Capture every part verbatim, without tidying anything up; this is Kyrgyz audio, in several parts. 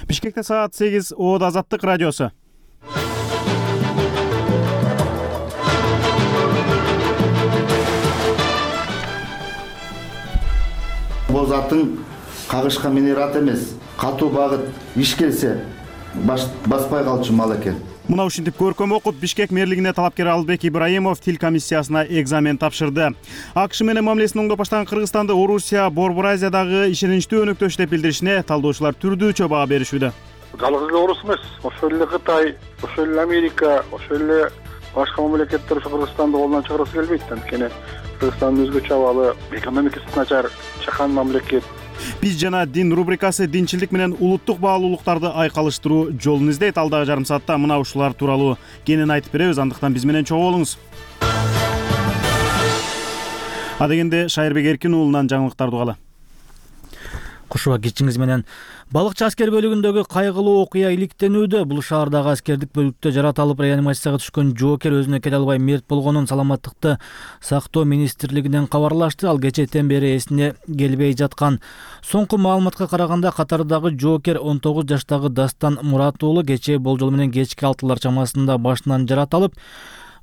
Бишкекте саат сегиз, Оод Азаттык радиосу. Боз атын кагышка минер ат эмес, катуу багыт иш келсе баспай калчу мал экен. Мына ушинтип көркөм окуп, Бишкек мэрлигине талапкер Албек Ибраимов тил комиссиясына экзамен тапшырды. АКШ менен мамилесин оңдоп баштаган Кыргызстанды Орусия Борбор Азиядагы ишеничтүү өнөктөш деп билдиришине талдоочулар түрдүүчө баа беришүүдө. Жалгыз эле Орус эмес, ошол эле Кытай, ошол эле Америка, ошол эле башка мамлекеттер ушу Кыргызстанды колунан чыгарасы келбейт. Анткени Кыргызстан өзгөчө абалы, экономикасы начар чакан мамлекет. Биз жана дин рубрикасы динчилдик менен улуттук баалуулуктарды айкалыштыруу жолун издейт. Алдагы жарым саатта мына ушулар тууралуу кенен айтып беребиз. Андыктан биз менен чогуу болуңуз. Адегенде Шайырбек Эркин уулунан жаңылыктарды угалы. Кушуба кичиңиз менен балыкчы аскер бөлүгүндөгү кайгылуу окуя иликтенүүдө. Бул шаардагы аскердик бөлүктө жаратылып реанимацияга түшкөн жоокер өзүнө келе албай мерт болгонун саламаттыкты сактоо министрлигинен кабарлашты. Ал кечээден бери эсине келбей жаткан. Соңку маалыматка караганда катардагы жоокер он тогуз жаштагы Дастан Мурат уулу кечээ болжол менен кечки алтылар чамасында башынан жаратылып,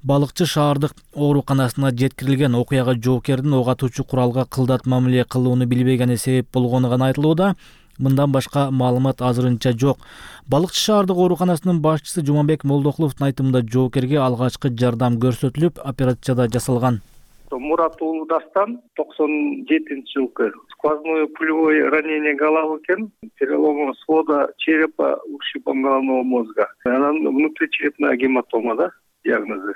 балыкчы шаардык ооруканасына жеткирилген. Окуяга жоокердин ок атуучу куралга кылдат мамиле кылууну билбегени себеп болгону гана айтылууда. Мындан башка маалымат азырынча жок. Балыкчы шаардык ооруканасынын башчысы Жумабек Молдокуловдун айтымында жоокерге алгачкы жардам көрсөтүлүп, операция жасалган. Мурат уулу Дастан токсон жетинчи жылкы сквозное пулевое ранение головы экен, перелом свода черепа, ушибом головного мозга. Анан внутричерепная гематома да диагнозу.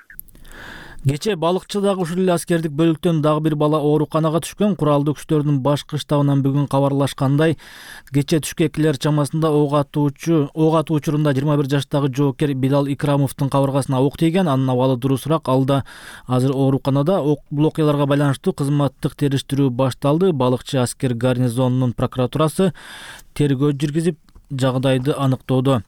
Кечээ балыкчыдагы ушул эле аскердик бөлүктөн дагы бир бала ооруканага түшкөн. Куралдуу күчтөрдүн башкы штабынан бүгүн кабарлашкандай, кечээ түшкү экилер чамасында ок атуучу ок атуу учурунда жыйырма бир жаштагы жоокер Билал Икрамовдун кабыргасына ок тийген. Анын абалы дурусураак. Ал да азыр ооруканада. Бул окуяларга байланыштуу кызматтык териштирүү башталды. Балыкчы аскер гарнизонунун прокуратурасы тергөө жүргүзүп, жагдайды аныктоодо.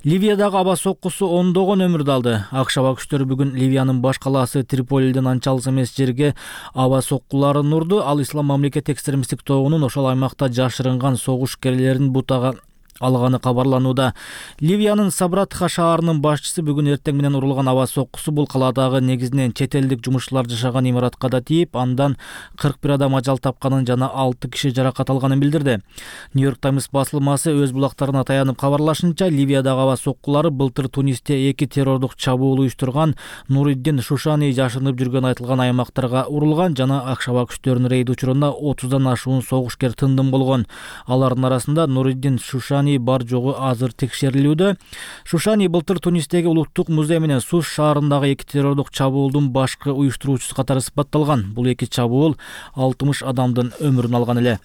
Ливиядагы аба соккусу ондогон өмүрдү алды. АКШ аба күчтөрү бүгүн Ливиянын баш калаасы Триполиден анча алыс эмес жерге аба соккуларын урду. Ал Ислам мамлекет экстремисттик тобунун ошол аймакта жашырынган согуш-керелерин бутага алганы кабарланууда. Ливиянын Сабратха шаарынын башчысы бүгүн эртең менен урулган аба соккусу бул каладагы негизинен чет элдик жумушчулар жашаган имаратка да тийип, андан кырк бир адам ажал тапканын жана алты киши жаракат алганын билдирди. Нью-Йорк Таймс басылмасы өз булактарына таянып кабарлашынча, Ливиядагы аба соккулары былтыр Тунисте эки террордук чабуул уюштурган Нуриддин Шушани жашынып жүргөн айтылган аймактарга урулган жана АКШ аба күчтөрүнүн рейд учурунда отуздан ашуун согушкер тындым болгон. Алардын арасында Нуриддин Шушани бар жогу азыр текшерилүүдө. Шушани былтыр Тунистеги улуттук музей менен Сус шаарындагы эки террордук чабуулдун башкы уюштуруучусу катары сыпатталган. Бул эки чабуул алтымыш адамдын өмүрүн алган эле.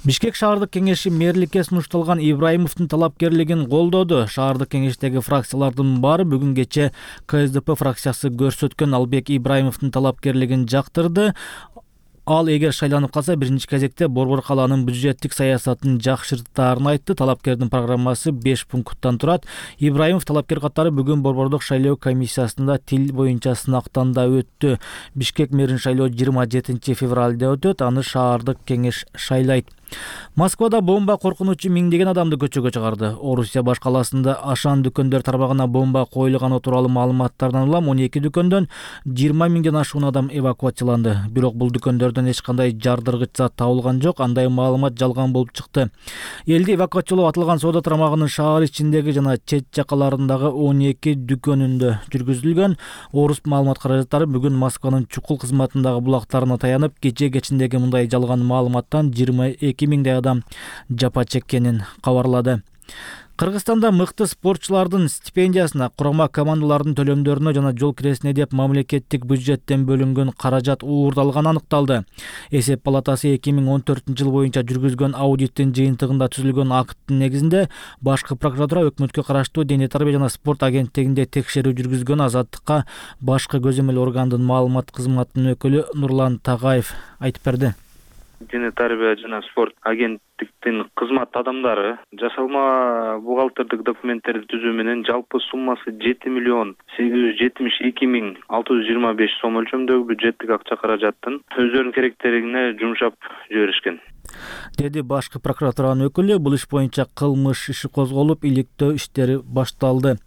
Бишкек шаардык кеңеши мэрликке сунушталган Ибраимовдун талапкерлигин колдоду. Шаардык кеңештеги фракциялардын баары бүгүн кече КСДП фракциясы көрсөткөн Албек Ибраимовдун талапкерлигин жактырды. Ал эгер шайланып калса, биринчи кезекте Борбор калаанын бюджеттик саясатын жакшыртаарын айтты. Талапкердин программасы беш пункттан турат. Ибраимов талапкер катары бүгүн Борбордук шайлоо комиссиясында тил боюнча сынактан да өттү. Бишкек мэрин шайлоо жыйырма жетинчи февралда өтөт. Аны шаардык кеңеш шайлайт. Москвада бомба коркунучу миңдеген адамды көчөгө чыгарды. Орусия баш калаасында ашан дүкөндөр тармагына бомба коюлганы тууралуу маалыматтардан улам он эки дүкөндөн жыйырма миңден ашуун адам эвакуацияланды. Бирок бул дүкөндөрдөн эч кандай жардыргыч зат табылган жок. Андай маалымат жалган болуп чыкты. Элди эвакуациялоо аталган соода тармагынын шаар ичиндеги жана чет жакаларындагы он эки дүкөнүндө жүргүзүлгөн. Орус маалымат каражаттары бүгүн Москванын чукул кызматындагы булактарына таянып, кече кечиндеги мындай жалган маалыматтан жыйырма эки миңдей адам жапа чеккенин кабарлады. Кыргызстанда мыкты спортчулардын стипендиясына, курама командалардын төлөмдөрүнө жана жол киресине деп мамлекеттик бюджеттен бөлүнгөн каражат уурдалганы аныкталды. Эсеп палатасы эки миң он төртүнчү жыл боюнча жүргүзгөн аудиттин жыйынтыгында түзүлгөн акттын негизинде башкы прокуратура өкмөткө караштуу Дене тарбия жана спорт агенттигинде текшерүү жүргүзгөн. Азаттыкка башкы көзөмөл органдын маалымат кызматынын өкүлү Нурлан Тагаев айтып берди. Дене тарбия жана спорт агенттиктин кызмат адамдары жасалма бухгалтердик документтерди түзүү менен жалпы суммасы жети миллион сегиз жүз жетимиш эки миң алты жүз жыйырма беш сом өлчөмдөгү бюджеттик акча каражаттын өздөрүнүн керектерине жумшап жиберишкен. деди башкы прокуратуранын өкүлү. Бул иш боюнча кылмыш иши козголуп, иликтөө иштери башталды.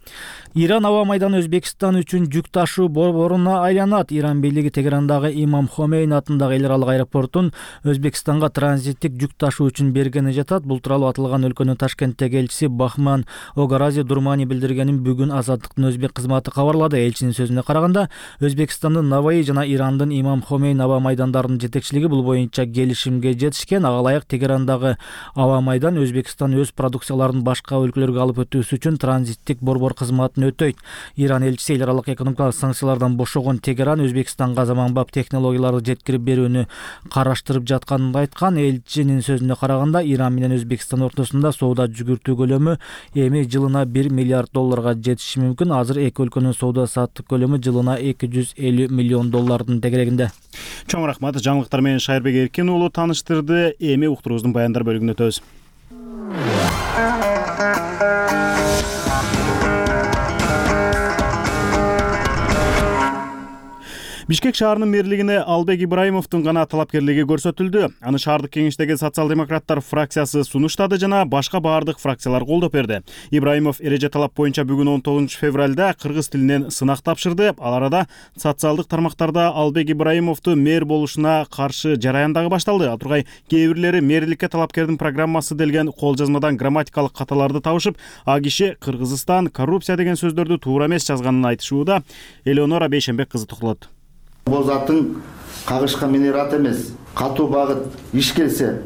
Иран аба майданы Өзбекстан үчүн жүк ташуу борборуна айланат. Иран бийлиги Тегерандагы Имам Хомейни атындагы эл аралык аэропортун Өзбекстанга транзиттик жүк ташуу үчүн бергени жатат. Бул тууралуу аталган өлкөнүн Ташкенттеги элчиси Бахман Огарази Дурмани билдиргенин бүгүн Азаттыктын өзбек кызматы кабарлады. Элчинин сөзүнө караганда, Өзбекстандын Наваи жана Ирандын Имам Хомейни аба майдандарынын жетекчилиги бул боюнча келишимге жетишкен. Ага ылайык Тегерандагы аба майдан Өзбекстан өз продукцияларын башка өлкөлөргө алып өтүүсү үчүн транзиттик борбор кызматын өтөйт. Иран элчиси эл аралык экономикалык санкциялардан бошогон Тегеран Өзбекстанга заманбап технологияларды жеткирип берүүнү караштырып жатканын айткан. Элчинин сөзүнө караганда, Иран менен Өзбекстан ортосунда соода жүгүртүү көлөмү эми жылына бир миллиард долларга жетиши мүмкүн. Азыр эки өлкөнүн соода саттык көлөмү жылына эки жүз элүү миллион доллардын тегерегинде. Чоң рахмат. Жаңылыктар менен Шайырбек Эркин уулу таныштырды. Эми уктуруубуздун баяндар бөлүгүнө өтөбүз. Бишкек шаарынын мэрлигине Албек Ибраимовдун гана талапкерлиги көрсөтүлдү. Аны шаардык кеңештеги социал-демократтар фракциясы сунуштады жана башка баардык фракциялар колдоп берди. Ибраимов эреже талап боюнча бүгүн он тогузунчу февралда кыргыз тилинен сынак тапшырды. Ал арада социалдык тармактарда Албек Ибраимовду мэр болушуна каршы жараян дагы башталды. Ал тургай кээ бирлери мэрликке талапкердин программасы делген кол жазмадан грамматикалык каталарды табышып, а киши Кыргызстан коррупция деген сөздөрдү туура эмес жазганын айтышууда. Элеонора Бейшенбек кызы токтолот. Бул заттын кагышка минерат эмес, катуу багыт иш келсе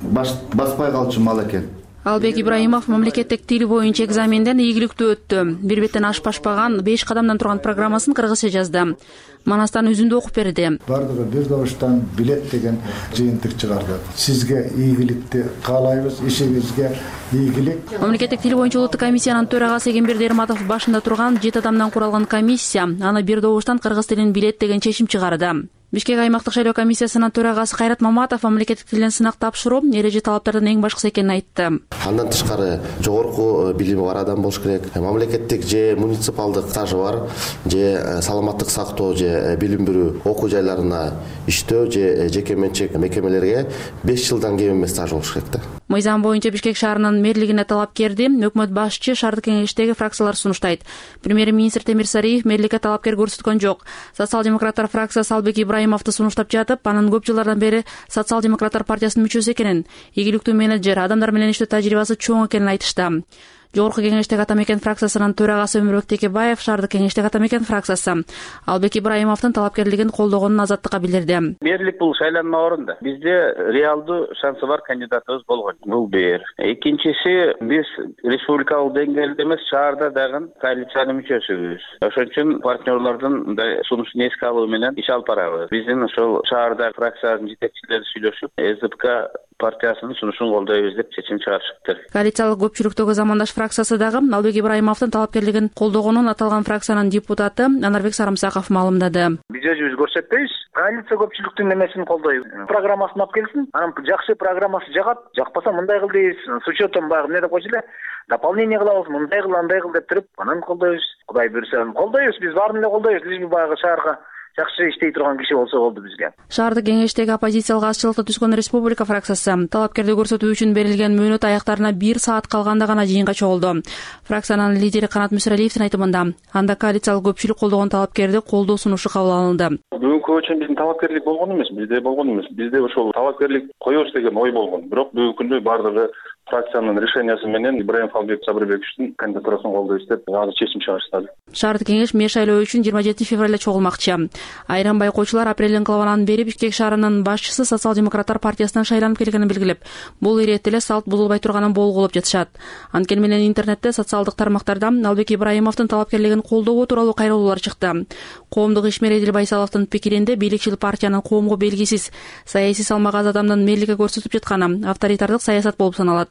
баспай калчу мал экен. Албек Ибраимов мамлекеттик тил боюнча экзаменден ийгиликтүү өттү. Бир беттен ашпашпаган беш кадамдан турган программасын кыргызча жазды. Манастан үзүндү окуп берди. Бардыгы бир добуштан билет деген жыйынтык чыгарды. Сизге ийгиликти каалайбыз, ишиңизге ийгилик. Мамлекеттик тил боюнча улуттук комиссиянын төрагасы Эгемберди Эрматов башында турган жети адамдан куралган комиссия аны бир добуштан кыргыз тилин билет деген чечим чыгарды. Бишкек аймактык шайлоо комиссиясынын төрагасы Кайрат Маматов мамлекеттик тилден сынак тапшыруу эреже талаптардын эң башкысы экенин айтты. Андан тышкары жогорку билими бар адам болуш керек. Мамлекеттик же муниципалдык стажы бар, же саламаттык сактоо, же билим берүү окуу жайларына иштөө, же жеке менчик мекемелерге беш жылдан кем эмес стаж болуш керек да. Мыйзам боюнча Бишкек шаарынын мэрлигине талапкерди өкмөт башчы шаардык кеңештеги фракциялар сунуштайт. Премьер-министр Темир Сариев мэрликке талапкер көрсөткөн жок. Социал-демократтар фракциясы Албек Ибраимовду сунуштап жатып, анын көп жылдардан бери Социал-демократтар партиясынын мүчөсү экенин, ийгиликтүү менеджер, адамдар менен иштөө тажрыйбасы чоң экенин айтышты. Жогорку кеңештеги Атамекен фракциясынын төрагасы Өмүрбек Текебаев шаардык кеңештеги Атамекен фракциясы Албек Ибраимовдун талапкерлигин колдогонун Азаттыкка билдирди. Мэрлик бул шайланма орунда. Бизде реалдуу шансы бар кандидатыбыз болгон. Бул бир. Экинчиси, биз республикалык деңгээлде эмес, шаарда дагы коалициянын мүчөсүбүз. Ошон үчүн партнерлордун сунушун эске алуу менен иш алып барабыз. Биздин ошол шаарда фракциянын жетекчилери сүйлөшүп, СДПК партиясынын сунушун колдойбуз деп чечим чыгарышыптыр. Коалициялык көпчүлүктөгү замандаш фракциясы дагы Албек Ибраимовдун талапкерлигин колдогонун аталган фракциянын депутаты Анарбек Сарымсаков маалымдады. Биз өзүбүз көрсөтпөйбүз. Коалиция көпчүлүктүн немесин колдойбуз. Программасын алып келсин, анан жакшы программасы жагат, жакпаса мындай кыл дейбиз. С учетом баягы эмне деп койчу эле, дополнение кылабыз, мындай кыл, андай кыл деп туруп, анан колдойбуз. Кудай буйрса, колдойбуз, биз баарын эле колдойбуз. Биз баягы шаарга жакшы иштей турган киши болсо болду бизге. Шаардык кеңештеги оппозициялык азчылыкта түшкөн Республика фракциясы талапкерди көрсөтүү үчүн берилген мөөнөт аяктарына бир саат калганда гана жыйынга чогулду. Фракциянын лидери Канат Мүсөралиевдин айтымында, анда коалициялык көпчүлүк колдогон талапкерди колдоо сунушу кабыл алынды. Бүгүнкү үчүн биздин талапкерлик болгон эмес, бизде болгон эмес. Бизде ошол талапкерлик коебуз деген ой болгон. Бирок бүгүнкү күндө бардыгы фракциянын решениясы менен Ибраимов Албек Сабырбековичтин кандидатурасын колдойбуз деп азыр чечим чыгарышты. Шаардык кеңеш мэр шайлоо үчүн жыйырма жетинчи февралда чогулмакчы. Айрым байкоочулар апрелдин кылабанан бери Бишкек шаарынын башчысы Социал-демократтар партиясынан шайланып келгенин белгилеп, бул ирет эле салт бузулбай турганын болгулоп жатышат. Анткени менен интернетте социалдык тармактарда Албек Ибраимовдун талапкерлигин колдоо тууралуу кайрылуулар чыкты. Коомдук ишмер Эдил Байсаловдун пикиринде бийликчил партиянын коомго белгисиз, саясий салмагы аз адамдын мэрликке көрсөтүп жатканы авторитардык саясат болуп саналат.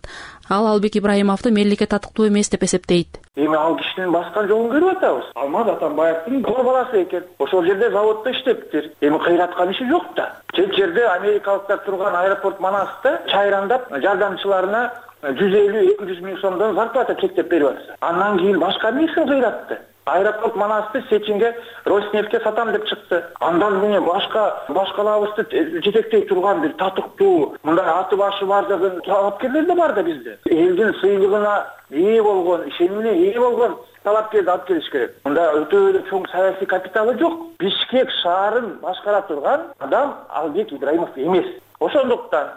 Ал Албек Ибраимовду мэрликке татыктуу эмес деп эсептейт. Эми ал кишинин баскан жолун көрүп атабыз. Алмаз Атамбаевдин доо баласы экен. Ошол жерде заводдо иштептир. Эми кыйраткан иши жок да. Чет жерде америкалыктар турган аэропорт Манаста чайрандап жардамчыларына жүз элүү эки жүз миң сомдон зарплата чектеп берип атса. Андан кийин башка эмнесин кыйратты? Аэропорт Манасты Сечинге Роснефтке сатам деп чыкты. Андан міне башка башкалабызды жетектей турган бир татыктуу, мындай аты башы бар деген талапкерлер да бар да бизде. Элдин сыйлыгына ээ болгон, ишенимине ээ болгон талапкерди алып келиш керек. Мында өтө эле чоң саясий капиталы жок. Бишкек шаарын башкара турган адам Албек Ибраимов эмес. Ошондуктан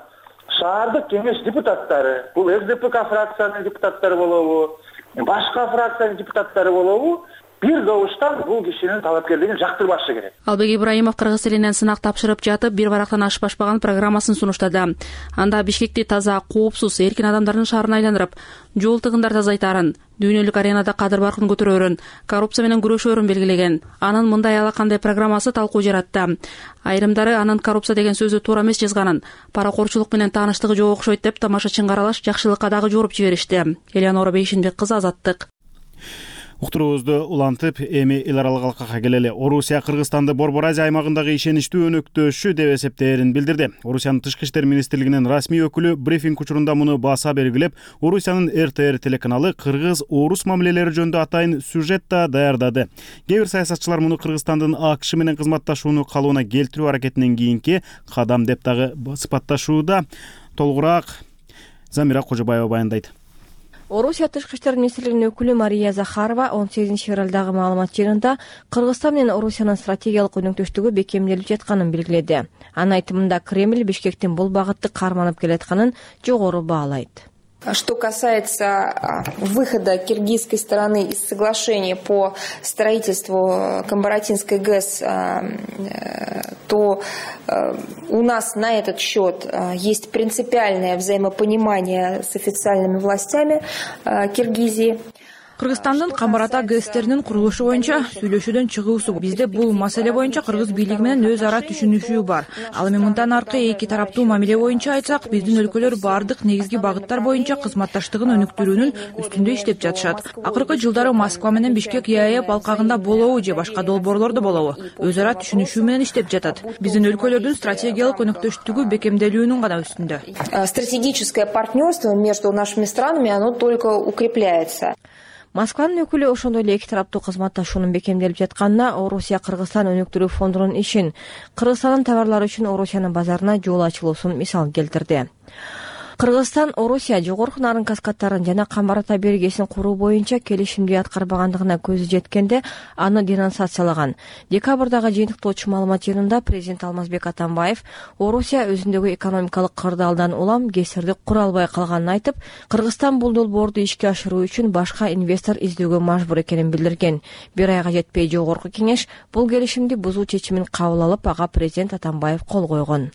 шаардык кеңеш депутаттары, бул СДПК фракциянын депутаттары болобу, башка фракциянын депутаттары болобу, бир добуштан бул кишинин талапкерлигин жактырбашы керек. Албек Ибраимов кыргыз элинен сынак тапшырып жатып, бир барактан ашып ашпаган программасын сунуштады. Анда Бишкекти таза, коопсуз, эркин адамдардын шаарына айландырып, жол тыгындар тазайтаарын, дүйнөлүк аренада кадыр баркын көтөрөөрүн, коррупция менен күрөшөөрүн белгилеген. Анын мындай ала кандай программасы талкуу жаратты. Айрымдары анын коррупция деген сөзү туура эмес жазганын, паракорчулук менен тааныштыгы жок окшойт деп тамашачын каралаш жакшылыкка дагы жоруп жиберишти. Элеонора Бейшинбек кызы, Азаттык. Уктуруубузду улантып, эми эл аралык алкакка келели. Орусия Кыргызстанды Борбор Азия аймагындагы ишеничтүү өнөктөшү деп эсептээрин билдирди. Орусиянын Тышкы иштер министрлигинин расмий өкүлү брифинг учурунда муну баса белгилеп, Орусиянын эр тэ эр телеканалы кыргыз-орус мамилелери жөнүндө атайын сюжет да даярдады. Кээ бир саясатчылар муну Кыргызстандын АКШ менен кызматташууну калыбына келтирүү аракетинен кийинки кадам деп дагы сыпатташууда. Толугураак Замира Кожобаева баяндайт. Орусия Тышкы иштер министрлигинин өкүлү Мария Захарова он сегизинчи февралдагы маалымат жыйынында Кыргызстан менен Орусиянын стратегиялык өнөктөштүгү бекемделип жатканын белгиледи. Анын айтымында Кремль Бишкектин бул багытты карманып келатканын жогору баалайт. Что касается выхода киргизской стороны из соглашения по строительству Камбаратинской ГЭС, то у нас на этот счет есть принципиальное взаимопонимание с официальными властями Киргизии. Кыргызстандын Камбарата ГЭСтеринин курулушу боюнча сүйлөшүүдөн чыгуусу. Бизде бул маселе боюнча кыргыз бийлиги менен өз ара түшүнүшүү бар. Ал эми мындан аркы эки тараптуу мамиле боюнча айтсак, биздин өлкөлөр бардык негизги багыттар боюнча кызматташтыгын өнүктүрүүнүн үстүндө иштеп жатышат. Акыркы жылдары Москва менен Бишкек ЕАЭП алкагында болобу же башка долбоорлордо болобу, өз ара түшүнүшүү менен иштеп жатат. Биздин өлкөлөрдүн стратегиялык өнөктөштүгү бекемделүүнүн гана үстүндө. Стратегическое партнерство между нашими странами, оно только укрепляется. Москванын өкүлү ошондой эле эки тараптуу кызматташуунун бекемделип жатканына Орусия Кыргызстан өнүктүрүү фондунун ишин, Кыргызстандын товарлары үчүн Орусиянын базарына жол ачылуусун мисал келтирди. Кыргызстан Орусия жогорку нарын каскадтарын жана Камбарата бергесин куруу боюнча келишимди аткарбагандыгына көзү жеткенде аны денонсациялаган. Декабрдагы жыйынтыктоочу маалымат жыйынында президент Алмазбек Атамбаев Орусия өзүндөгү экономикалык кырдаалдан улам ГЭСтерди кура албай калганын айтып, Кыргызстан бул долбоорду ишке ашыруу үчүн башка инвестор издөөгө мажбур экенин билдирген. Бир айга жетпей жогорку кеңеш бул келишимди бузуу чечимин кабыл алып, ага президент Атамбаев кол койгон.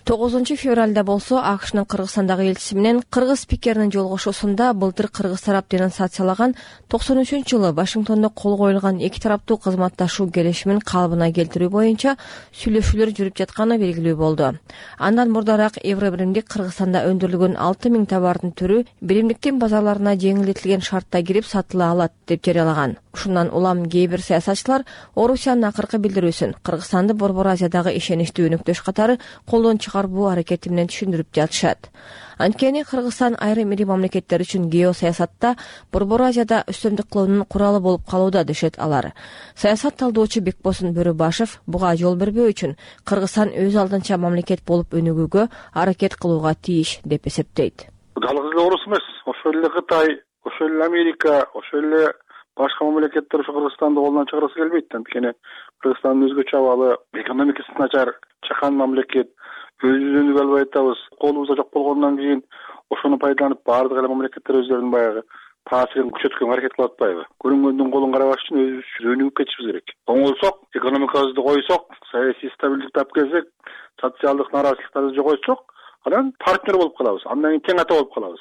тогузунчу февралда болсо АКШнын Кыргызстандагы элчиси менен кыргыз спикеринин жолугушуусунда былтыр кыргыз тарап денонсациялаган токсон үчүнчү жылы Вашингтондо кол коюлган эки тараптуу кызматташуу келишимин калыбына келтирүү боюнча сүйлөшүүлөр жүрүп жатканы белгилүү болду. Андан мурдараак Евробиримдик Кыргызстанда өндүрүлгөн алты миң товардын түрү биримдиктин базарларына жеңилдетилген шартта кирип сатыла алат деп жарыялаган. Ушундан улам кээ бир саясатчылар Орусиянын акыркы билдирүүсүн Кыргызстанды Борбор Азиядагы ишеничтүү өнөктөш катары колдон чыгарбоо аракети менен түшүндүрүп жатышат. Анткени Кыргызстан айрым ири мамлекеттер үчүн геосаясатта Борбор Азияда үстөмдүк кылуунун куралы болуп калууда дешет алар. Саясат талдоочу Бекбосын Бөрөбашев буга жол бербөө үчүн Кыргызстан өз алдынча мамлекет болуп өнүгүүгө аракет кылууга тийиш деп эсептейт. Жалгыз эле Орус эмес, ошол эле Кытай, ошол эле Америка, ошол эле башка мамлекеттер ушу Кыргызстанды колунан чыгарасы келбейт. Анткени Кыргызстандын өзгөчө абалы, экономикасы начар, чакан мамлекет. Өзүбүз өнүгө албай атабыз. Колубузда жок болгондон кийин ошону пайдаланып баардык эле мамлекеттер өздөрүнүн баягы таасирин күчөткөнгө аракет кылып атпайбы? Көрүнгөндүн колун карабаш үчүн өзүбүз өнүгүп кетишибиз керек. Оңолсок, экономикабызды койсок, саясий стабилдикти алып келсек, социалдык нааразычылыктарды жогойтсок, анан партнер болуп калабыз. Андан кийин тең ата болуп калабыз.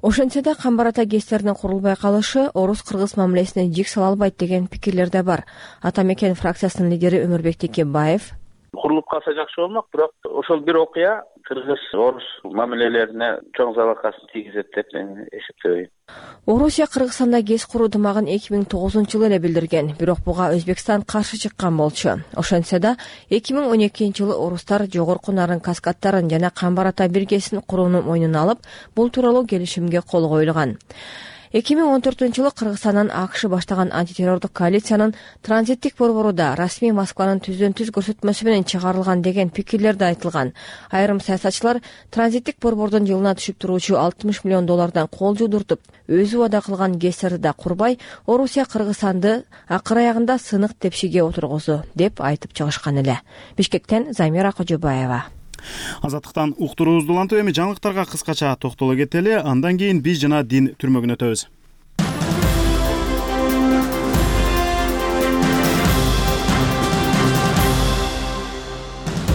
Ошентсе да Камбарата ГЭСтеринин курулбай калышы орус-кыргыз мамилесине жик сала албайт деген пикирлер да бар. Ата мекен фракциясынын лидери Өмүрбек Текебаев курулуп калса жакшы болмок, бирок ошол бир окуя кыргыз-орус мамилелерине чоң залалкасын тийгизет деп мен эсептебейм. Орусия Кыргызстанда ГЭС куруу дымагын эки миң тогузунчу жылы эле билдирген, бирок буга Өзбекстан каршы чыккан болчу. Ошентсе да эки миң он экинчи жылы орустар жогорку нарын каскадтарын жана Камбарата биргесин курууну мойнуна алып, бул тууралуу келишимге кол коюлган. эки миң он төртүнчү жылы Кыргызстандан АКШ баштаган антитеррордук коалициянын транзиттик борбору расмий Москванын түздөн түз көрсөтмөсү менен чыгарылган деген пикирлер да айтылган. Айрым саясатчылар транзиттик борбордун жылына түшүп туруучу алтымыш миллион доллардан кол жудуртуп, өзү убада кылган кестерди да курбай, Орусия Кыргызстанды акыр аягында сынык тепшиге отургузду деп айтып чыгышкан эле. Бишкектен Замира Кожобаева. Азаттыктан уктуруубузду улантып, эми жаңылыктарга кыскача токтоло кетели, андан кийин биз жана дин түрмөгүнө өтөбүз.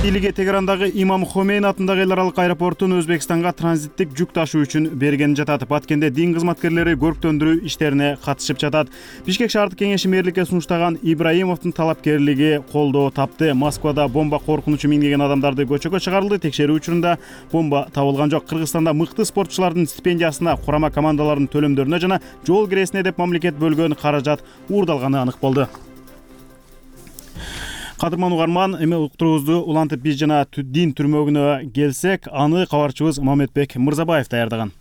Бийлиги Тегерандагы Имам Хомейн атындагы эл аралык аэропортун Өзбекстанга транзиттик жүк ташуу үчүн берген жатат. Баткенде дин кызматкерлери көрктөндүрүү иштерине катышып жатат. Бишкек шаардык кеңеши мэрликке сунуштаган Ибраимовдун талапкерлиги колдоо тапты. Москвада бомба коркунучу миңдеген адамдарды көчөгө чыгарылды. Текшерүү учурунда бомба табылган жок. Кыргызстанда мыкты спортчулардын стипендиясына, курама командалардын төлөмдөрүнө жана жол киресине деп мамлекет бөлгөн каражат уурдалганы анык болду. Кадырман угарман, эми уктуруубузду улантып биз жана дин түрмөгүнө келсек, аны кабарчыбыз Мамедбек Мырзабаев даярдаган.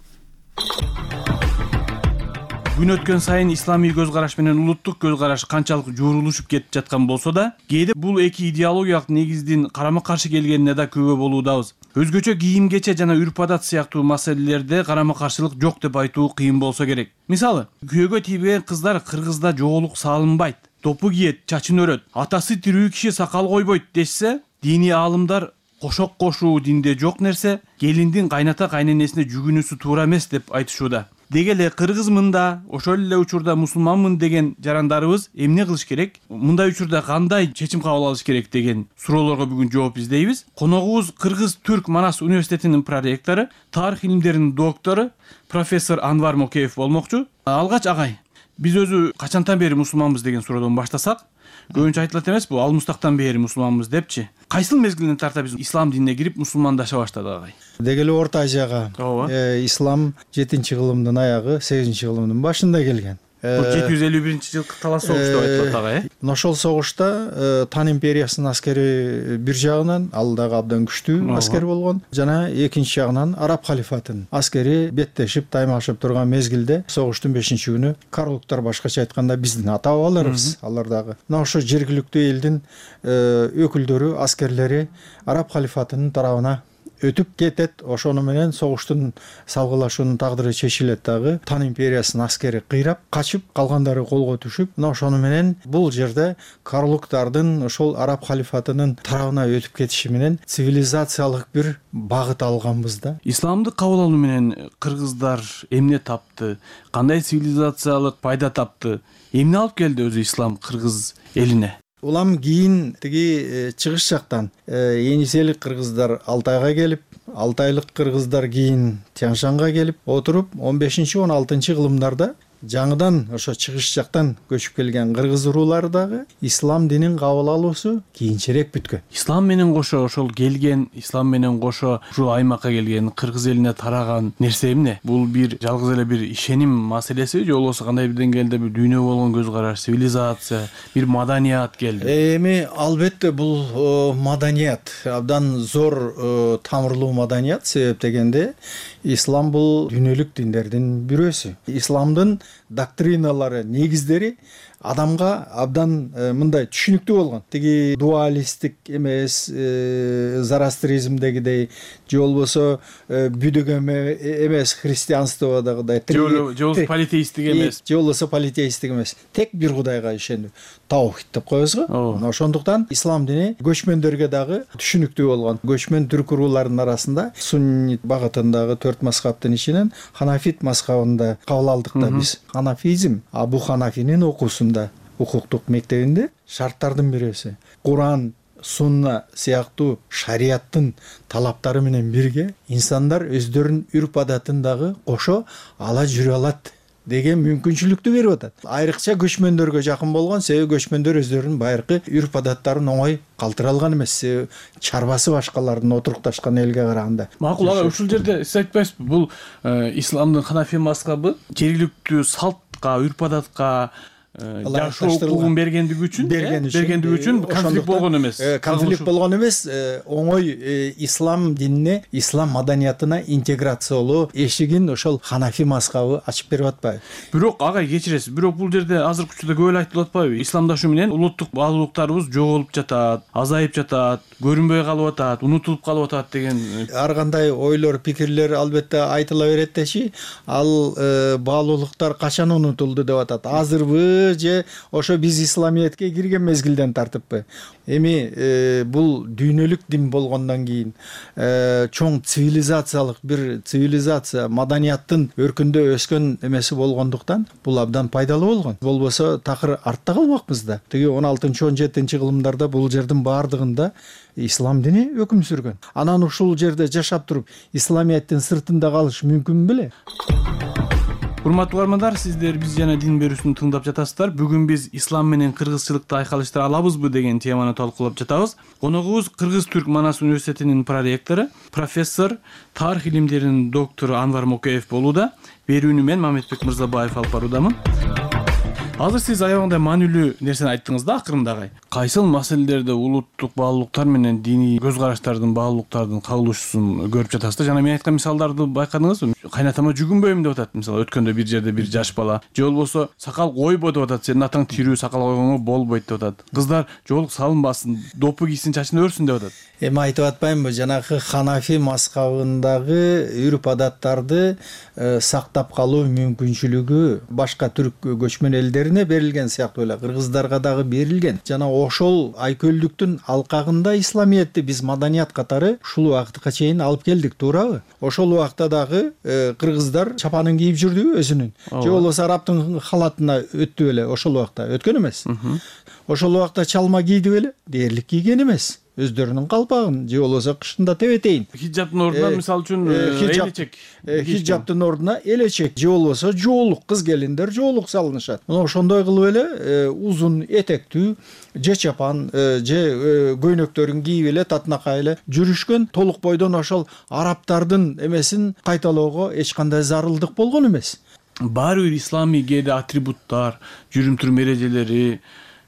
Күн өткөн сайын исламий көз караш менен улуттук көз караш канчалык жуурулушуп кетип жаткан болсо да, кээде бул эки идеологиялык негиздин карама-каршы келгенине да күбө болуудабыз. Өзгөчө кийим-кече жана үрп-адат сыяктуу маселелерде карама-каршылык жок деп айтуу кыйын болсо керек. Мисалы, күйөөгө тийбеген кыздар Кыргызда жоолук салынбайт, топу кийет, чачын өрөт, атасы тирүү киши сакал койбойт дешсе, диний аалымдар кошок кошуу динде жок нерсе, келиндин кайната кайненесине жүгүнүүсү туура эмес деп айтышууда. Деги эле кыргызмын да, ошол эле учурда мусулманмын деген жарандарыбыз эмне кылыш керек? Мындай учурда кандай чечим кабыл алыш керек деген суроолорго бүгүн жооп издейбиз. Коногубуз Кыргыз-Түрк Манас университетинин проректору, тарых илимдеринин доктору, профессор Анвар Мокеев болмокчу. Алгач агай, биз өзү качантан бери мусулманбыз деген суроодон баштасак, көбүнчө айтылат эмеспи, ал мустактан бери мусулманбыз депчи. Кайсыл мезгилинен тарта биз ислам динине кирип мусулмандаша баштадык агай? Деги эле Орто Азияга ислам жетинчи кылымдын аягы, сегизинчи кылымдын башында келген. жети жүз элүү биринчи жылкы талас согуш деп айтылат агай. Ошол согушта Тан империясынын аскери бир жагынан, ал дагы абдан күчтүү аскер болгон, жана экинчи жагынан араб халифатынын аскери беттешип, таймашып турган мезгилде согуштун бешинчи күнү карлуктар, башкача айтканда биздин ата бабаларыбыз, алар дагы мына ошо жергиликтүү элдин өкүлдөрү, аскерлери араб халифатынын тарабына өтүп кетет. Ошону менен согуштун салгылашуунун тагдыры чечилет дагы. Тан империясынын аскери кыйрап качып, калгандары колго түшүп, мына ошону менен бул жерде карлуктардын ошол араб халифатынын тарабына өтүп кетиши менен цивилизациялык бир багыт алганбыз да. Исламды кабыл алуу менен кыргыздар эмне тапты? Кандай цивилизациялык пайда тапты? Эмне алып келди өзү ислам кыргыз элине? Улам кийин тиги чыгыш жактан Ениселик кыргыздар Алтайга келип, Алтайлык кыргыздар кийин Тянь-Шанга келип отуруп, он бешинчи он алтынчы кылымдарда жаңыдан ошо чыгыш жактан көчүп келген кыргыз уруулары дагы ислам динин кабыл алуусу кийинчерээк бүткөн. Ислам менен кошо ошол келген, ислам менен кошо ушул аймакка келген, кыргыз элине тараган нерсе эмне? Бул бир жалгыз эле бир ишеним маселеси же болбосо кандай бир деңгээлде бир дүйнөгө болгон көз караш, цивилизация, бир маданият келди? Эми албетте бул маданият, абдан зор тамырлуу маданият, себеп дегенде ислам бул дүйнөлүк диндердин бирөөсү. Исламдын доктриналары, негиздери адамга абдан мындай түшүнүктүү болгон. Тиги дуалисттик эмес, зарастризмдегидей же болбосо бүдүк эмес, христианстводагыдай, же болбосо политеисттик эмес, же болбосо политеисттик эмес, тек бир кудайга ишенүү, таухид деп коебуз го. Ошондуктан ислам дини көчмөндөргө дагы түшүнүктүү болгон. Көчмөн түрк урууларынын арасында суннит багытындагы төрт мазхабтын ичинен ханафит мазхабында кабыл алдык да биз. Ханафизм Абу Ханафинин окуусунда укуктук мектебинде шарттардын бирөөсү. Куран, сунна сыяктуу шариаттын талаптары менен бирге инсандар өздөрүнүн үрп-адатын дагы кошо ала жүрө алат деген мүмкүнчүлүктү берип атат. Айрыкча көчмөндөргө жакын болгон, себеби көчмөндөр өздөрүнүн байыркы үрп-адаттарын оңой калтыра алган эмес, чарбасы башкалардын отурукташкан элге караганда. Макул ага, ушул жерде сиз айтпайсызбы, бул исламдын ханафи мазхабы жергиликтүү салтка, үрп-адатка, жашоо укугун бергендиги үчүн бергендиги үчүн конфликт болгон эмес конфликт болгон эмес оңой ислам динине, ислам маданиятына интеграциялоо эшигин ошол ханафи мазхабы ачып берип атпайбы? Бирок агай кечиресиз, бирок бул жерде азыркы учурда көп эле айтылып атпайбы? Исламдашы менен улуттук баалуулуктарыбыз жоголуп жатат, азайып жатат, көрүнбөй калып атат, унутулуп калып атат деген ар кандай ойлор, пикирлер албетте айтыла берет дечи, ал баалуулуктар качан унутулду деп атат. Азырбы же ошо биз исламиятке кирген мезгилден тартыппы? Эми бул дүйнөлүк дин болгондон кийин чоң цивилизациялык бир цивилизация, маданияттын өркүндө өскөн эмеси болгондуктан бул абдан пайдалуу болгон. Болбосо такыр артта калмакпыз да. Тиги он алтынчы он жетинчи кылымдарда бул жердин баардыгында ислам дини өкүм сүргөн. Анан ушул жерде жашап туруп исламияттын сыртында калыш мүмкүн беле? Урматтуу угармандар, сиздер биз жана дин берүүсүн тыңдап жатасыздар. Бүгүн биз ислам менен кыргызчылыкты айкалыштыра алабызбы деген теманы талкуулап жатабыз. Коногубуз Кыргыз-Түрк Манас университетинин проректору, профессор, тарых илимдеринин доктору Анвар Мокеев болууда. Берүүнү мен Мамедбек Мырзабаев алып баруудамын. Азыр сиз аябагандай маанилүү нерсени айттыңыз да акырында агай. Кайсыл маселелерде улуттук баалуулуктар менен диний көз караштардын, баалуулуктардын кагылышуусун көрүп жатасыздар? Жана мен айткан мисалдарды байкадыңызбы? Кайнатама жүгүнбөйм деп атат. Мисалы өткөндө бир жерде бир жаш бала, же болбосо сакал койбо деп атат. Сенин атаң тирүү, сакал койгоңо болбойт деп атат. Кыздар жоолук салынбасын, допу кийсин, чачын өрсүн деп атат. Эми айтып атпаймынбы, жанагы ханафи мазхабындагы үрп адаттарды сактап калуу мүмкүнчүлүгү башка түрк көчмөн элдерине берилген сыяктуу эле кыргыздарга дагы берилген. Жана ошол айкөлдүктүн алкагында исламиятты биз маданият катары ушул убакытка чейин алып келдик, туурабы? Ошол убакта дагы кыргыздар чапанын кийип жүрдүбү өзүнүн? Же болбосо арабтын халатына өттү беле? Ошол убакта өткөн эмес. Ошол убакта чалма кийди беле? Дээрлик кийген эмес. Өздөрүнүн калпагын, же болбосо кышында тебетейин. Хиджаптын ордуна мисалы үчүн элечек. Хиджаптын ордуна элечек, же болбосо жоолук, кыз келиндер жоолук салынышат. Мына ошондой кылып эле узун этектүү же чапан, же көйнөктөрүн кийип эле татынакай эле жүрүшкөн. Толук бойдон ошол арабтардын эмесин кайталоого эч кандай зарылдык болгон эмес. Баары бир исламий кээде атрибуттар, жүрүм турум эрежелери,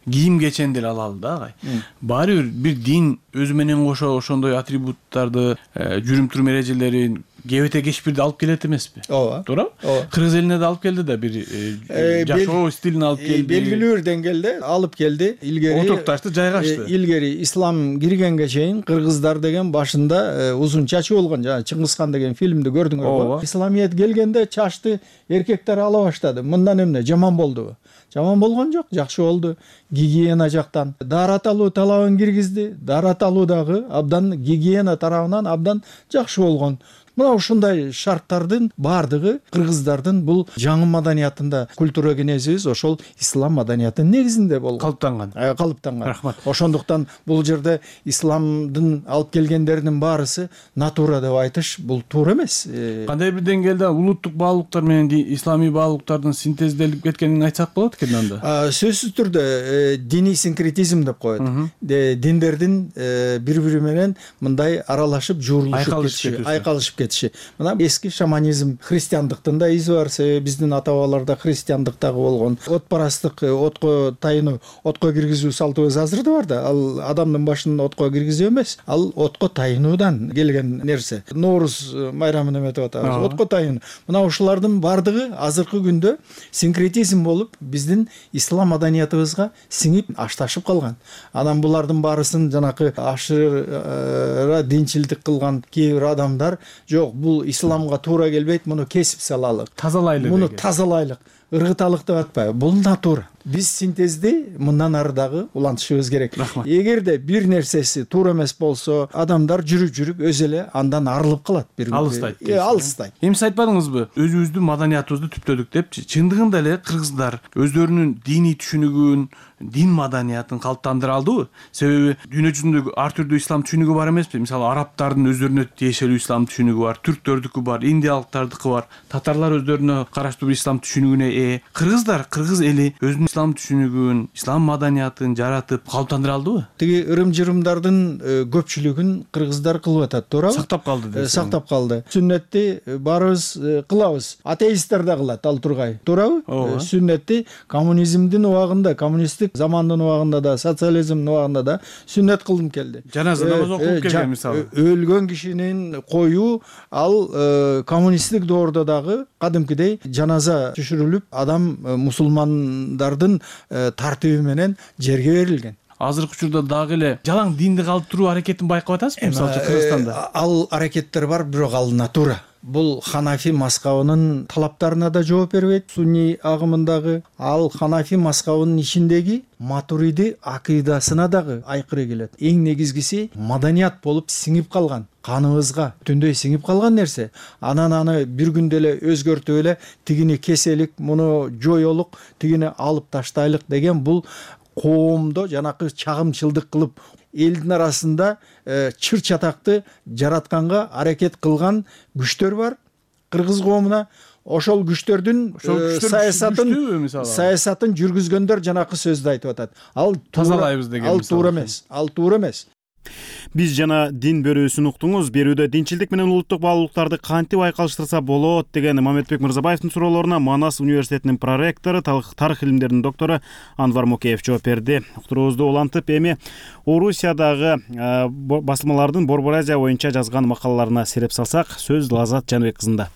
кийим кечендер алалы да агай. Баары бир бир дин өзү менен кошо ошондой атрибуттарды, жүрүм турум эрежелерин кебете кечпирди алып келет эмеспи? Ооба. Туура? Кыргыз элине да алып келди да, бир жашоо стилин алып келди. Белгилүү бир деңгээлде алып келди. Илгери отурукташты, жайгашты. Илгери ислам киргенге чейин кыргыздар деген башында узун чачы болгон. Жана Чыңгызхан деген фильмди көрдүңөрбү? Исламият келгенде чачты эркектер ала баштады. Мындан эмне жаман болдубу? Жаман болгон жок, жакшы болду. Гигиена жактан даарат алуу талабын киргизди. Даарат алуу дагы абдан гигиена тарабынан абдан жакшы болгон. Мына ушундай шарттардын баардыгы кыргыздардын бул жаңы маданиятында, культура кенезибиз ошол ислам маданиятынын негизинде болгон. Калыптанган. Калыптанган. Рахмат. Ошондуктан бул жерде исламдын алып келгендеринин баарысы натура деп айтыш бул туура эмес. Кандай бир деңгээлде улуттук баалуулуктар менен исламий баалуулуктардын синтезделип кеткенин айтсак болот экен анда? Сөзсүз түрдө диний синкретизм деп коет. Диндердин бири-бири менен мындай аралашып, жуурулушуп кетиши, айкалышып кетиши. Мына эски шаманизм, христиандыктын да изи бар. Биздин ата-бабаларда христиандыктагы болгон отпарастык, отко тайынуу, отко киргизүү салтыбыз азыр да бар да. Ал адамдын башын отко киргизүү эмес, ал отко тайынуудан келген нерсе. Норуз майрамын эметип атабыз. Отко тайын. Мына ушулардын бардыгы азыркы күндө синкретизм болуп, биздин ислам маданиятыбызга сиңип ашташып калган. Анан булардын баарысын жанакы ашыра динчилдик кылган кээ бир адамдар жок, бул исламга туура келбейт, муну кесип салалык, тазалайлык, муну тазалайлык, ыргыталык деп атпайбы? Бул натура. Биз синтезди мындан ары дагы улантышыбыз керек. Эгерде бир нерсеси туура эмес болсо, адамдар жүрүп-жүрүп өзү эле андан арылып калат. Алыстайт. Э, алыстайт. Эми сиз айтпадыңызбы? Өзүбүздүн маданиятыбызды түптөдүк депчи. Чындыгында эле кыргыздар өздөрүнүн диний түшүнүгүн, дин маданиятын калыптандыра алдыбы? Себеби дүйнө жүзүндө ар түрдүү ислам түшүнүгү бар эмеспи? Мисалы арабтардын өздөрүнө тиешелүү ислам түшүнүгү бар, түрктөрдүкү бар, индиялыктардыкы бар, татарлар өздөрүнө караштуу бир ислам түшүнүгүнө ээ. Кыргыздар, кыргыз эли өзүнүн ислам түшүнүгүн, ислам маданиятын жаратып калыптандыра алдыбы? Тиги ырым-жырымдардын көпчүлүгүн кыргыздар кылып атат, туурабы? Сактап калды дейсиз. Сактап калды. Сүннетти баарыбыз кылабыз. Атеисттер да кылат, ал тургай. Туурабы? Сүннетти коммунизмдин убагында, коммунисттик замандын убагында да, социализмдин убагында да сүннет кылдым келди. Жаназа намазы окуп келген мисалы. Өлгөн кишинин коюу ал коммунисттик доордо дагы кадимкидей жаназа түшүрүлүп, адам мусулмандардын тартиби менен жерге берилген. Азыркы учурда дагы эле жалаң динди калтыруу аракетин байкап атасызбы, мисалы үчүн Кыргызстанда? Ал аракеттер бар, бирок ал натура. Бул Ханафи мазхабынын талаптарына да жооп бербейт. Сунни агымындагы ал Ханафи мазхабынын ичиндеги Матуриди акыйдасына дагы айкыры келет. Эң негизгиси маданият болуп сиңип калган, каныбызга түндөй сиңип калган нерсе. Анан аны бир күндө эле өзгөртүп эле тигини кеселик, муну жоёлук, тигини алып таштайлык деген бул коомдо жанакы чагымчылдык кылып элдин арасында чыр чатакты жаратканга аракет кылган күчтөр бар кыргыз коомуна. Ошол күчтөрдүн саясатын саясатын жүргүзгөндөр жанакы сөздү айтып атат. Ал тазалайбыз деген. Ал туура эмес. Ал туура эмес. Биз жана дин берүүсүн уктуңуз. Берүүдө динчилдик менен улуттук баалуулуктарды кантип айкалыштырса болот деген Мамедбек Мырзабаевдин суроолоруна Манас университетинин проректору, тарых илимдеринин доктору Анвар Мокеев жооп берди. Уктуруубузду улантып, эми Орусиядагы басылмалардын Борбор Азия боюнча жазган макалаларына сереп салсак, сөз Лазат Жаныбек кызында.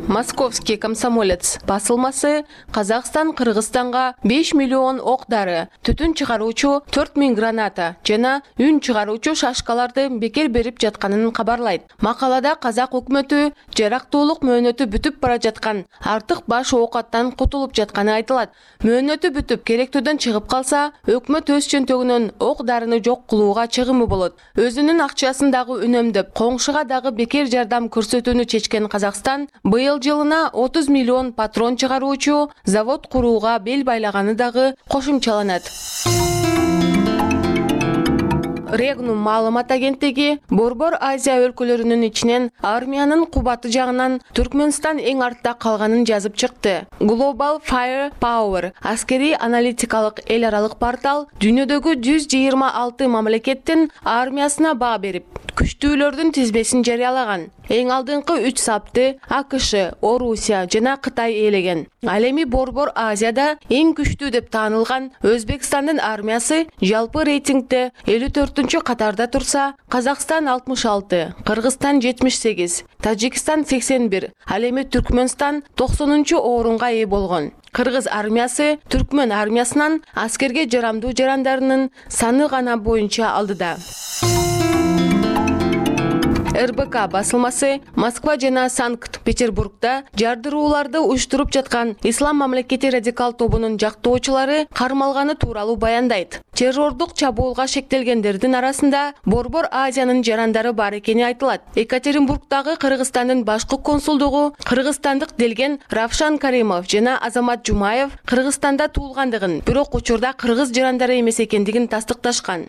Московский комсомолец басылмасы Казакстан Кыргызстанга беш миллион ок дары, түтүн чыгаруучу төрт миң граната жана үн чыгаруучу шашкаларды бекер берип жатканын кабарлайт. Макалада казак өкмөтү жарактуулук мөөнөтү бүтүп бара жаткан, артык баш оокаттан кутулуп жатканы айтылат. Мөөнөтү бүтүп керектүүдөн чыгып калса, өкмөт өз чөнтөгүнөн ок дарыны жок кылууга чыгымы болот. Өзүнүн акчасын дагы үнөмдөп, коңшуга дагы бекер жардам көрсөтүүнү чечкен Казакстан быйыл жылына отуз миллион патрон чыгаруучу завод курууга бел байлаганы дагы кошумчаланат. Регнум маалымат агенттиги Борбор Азия өлкөлөрүнүн ичинен армиянын кубаты жагынан Түркмөнстан эң артта калганын жазып чыкты. Global Fire Power аскери аналитикалык эл аралык портал дүйнөдөгү жүз жыйырма алты мамлекеттин армиясына баа берип, күчтүүлөрдүн тизмесин жарыялаган. Эң алдыңкы үч сапты АКШ, Орусия жана Кытай ээлеген. Ал эми Борбор Азияда эң күчтүү деп таанылган Өзбекстандын армиясы жалпы рейтингде элүү төртүнчү катарда турса, Казакстан алтымыш алты, Кыргызстан жетимиш сегиз, Тажикстан сексен бир, ал эми Түркмөнстан токсонунчу орунга ээ болгон. Кыргыз армиясы Түркмөн армиясынан аскерге жарамдуу жарандарынын саны гана боюнча алдыда. эр бэ ка басылмасы Москва жана Санкт-Петербургда жардырууларды уюштуруп жаткан Ислам мамлекети радикал тобунун жактоочулары кармалганы тууралуу баяндайт. Террордук чабуулга шектелгендердин арасында Борбор Азиянын жарандары бар экени айтылат. Екатеринбургдагы Кыргызстандын башкы консулдугу кыргызстандык делген Равшан Каримов жана Азамат Жумаев Кыргызстанда туулгандыгын, бирок учурда кыргыз жарандары эмес экендигин тастыкташкан.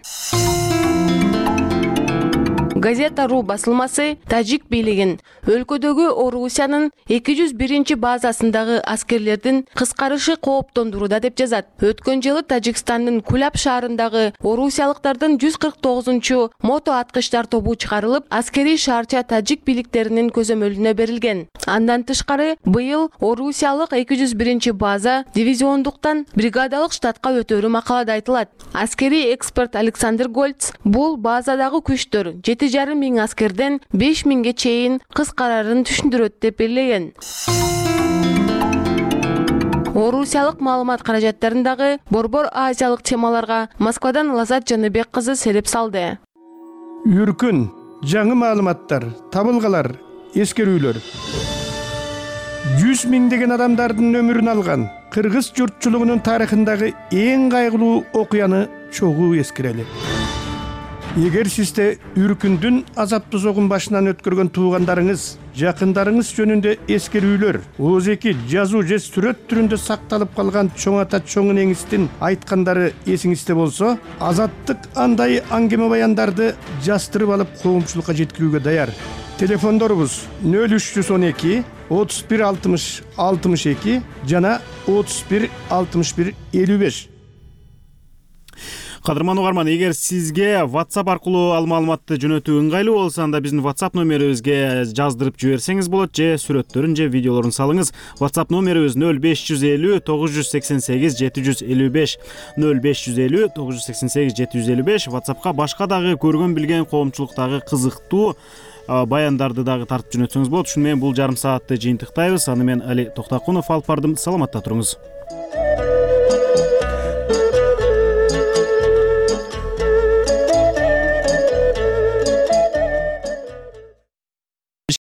Газета.ру басылмасы Тажик бийлигин өлкөдөгү Орусиянын эки жүз биринчи базасындагы аскерлердин кыскарышы кооптондурууда деп жазат. Өткөн жылы Тажикстандын Кулап шаарындагы орусиялыктардын жүз кырк тогузунчу мото аткычтар тобу чыгарылып, аскерий шаарча тажик бийликтеринин көзөмөлүнө берилген. Андан тышкары быйыл орусиялык эки жүз биринчи база дивизиондуктан бригадалык штатка өтөрү макалада айтылат. Аскерий эксперт Александр Гольц бул базадагы күчтөр жети жарым миң аскерден беш миңге чейин кыскарарын түшүндүрөт деп белгилеген. Орусиялык маалымат каражаттарындагы Борбор Азиялык темаларга Москвадан Лазат Жаныбек кызы сереп салды. Үркүн, жаңы маалыматтар, табылгалар, эскерүүлөр. жүз миңдеген адамдардын өмүрүн алган кыргыз журтчулугунун тарыхындагы эң кайгылуу окуяны чогуу эскерели. Эгер сизде Үркүндүн азаптуу согун башынан өткөргөн туугандарыңыз, жакындарыңыз жөнүндө эскерүүлөр, ооз-эки жазуу же сүрөт түрүндө сакталып калган чоң ата чоң энеңиздин айткандары эсиңизде болсо, Азаттык андай аңгеме баяндарды жастырып алып коомчулукка жеткирүүгө даяр. Телефондорубуз нөл үч жүз он эки отуз бир алтымыш алтымыш эки жана отуз бир алтымыш бир элүү беш. Кадырман угарман, эгер сизге WhatsApp аркылуу ал маалыматты жөнөтүү ыңгайлуу болсо, анда биздин WhatsApp номерибизге жаздырып жиберсеңиз болот, же сүрөттөрүн же видеолорун салыңыз. WhatsApp номерибиз нөл беш жүз элүү тогуз жүз сексен сегиз жети жүз элүү беш нөл беш жүз элүү тогуз жүз сексен сегиз жети жүз элүү беш. WhatsAppка башка дагы көргөн билген коомчулуктагы кызыктуу баяндарды дагы тартып жөнөтсөңүз болот. Ушуну менен бул жарым саатты жыйынтыктайбыз. Аны мен Али Токтакунов алып бардым. Саламатта туруңуз.